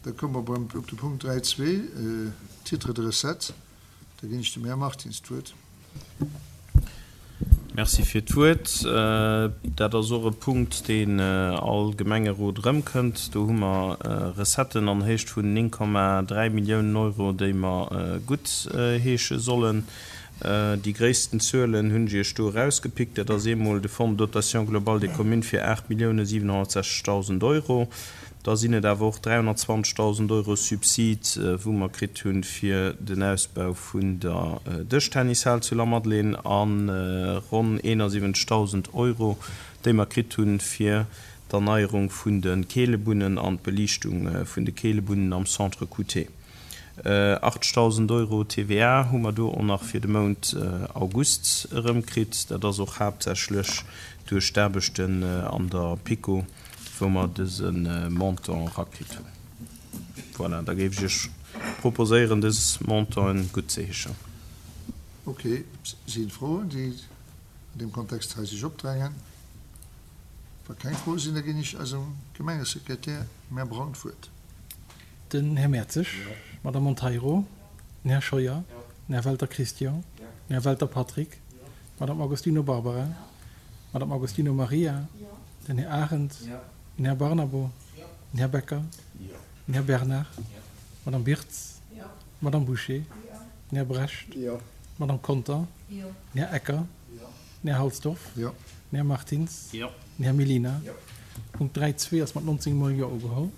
Da komme mer beim, op de Punkt 3.2, Titres de recettes. Da ginn ech dem Här Martins d'Wuert. Merci fir d'Wuert. Dat ass och e Punkt, deen all Gemengerot erëmkënnt. Do hu mer Recetten an Héicht vun 9,3 Milliounen Euro, déi mer guttheesche sollen. Déi gréissten Zuelen hunn ech Iech do erausgepickt. Dat ass eemol de Fonds de dotation globale des communes fir 8.760.000 Euro. Da sinn et awer och 320.000 Euro Subsid, wou mer kritt hunn fir den Ausbau vun der Dëschtennishal zu Lamadelaine a ronn 71.000 Euro, déi mer kritt hunn fir d'Erneierung vun de Keelebunnen an d'Beliichtung vun de Keelebunnen am Centre Couté. 80.000 Euro TVA hu mer do och nach fir de Mount August erëmkritt. Dat ass och haaptsächlech duerch d'Aarbechten an der PiKo. wou mer dëse Montant erakritt hunn. Voilà, da géif ech Iech proposéieren, dës Montanten guttzeheeschen. Ok, si Froen, déi an deem Kontext hei sech opdrängen? Wa keng Froe sinn, da ginn ech eisem Gemengesekretär, dem Här Braun, d'Wuert. Den Här Mertzig, d'Madame Monteiro, den Här Scheuer, den Här Welter Christian, den Här Welter Patrick, d'Madame Agostino Barbara, d'Madame Agostino Maria, den Här Arendt, den Här Barnabo, den Här Becker, den Här Bernard, d'Madame Birtz, d'Madame Bouché, den Här Brecht, d'Madame Conter, den Här Ecker, den Här Halsdorf, den Här Martins, den Här Mellina. Punkt 3.2 ass mat 19 mol Jo ugeholl.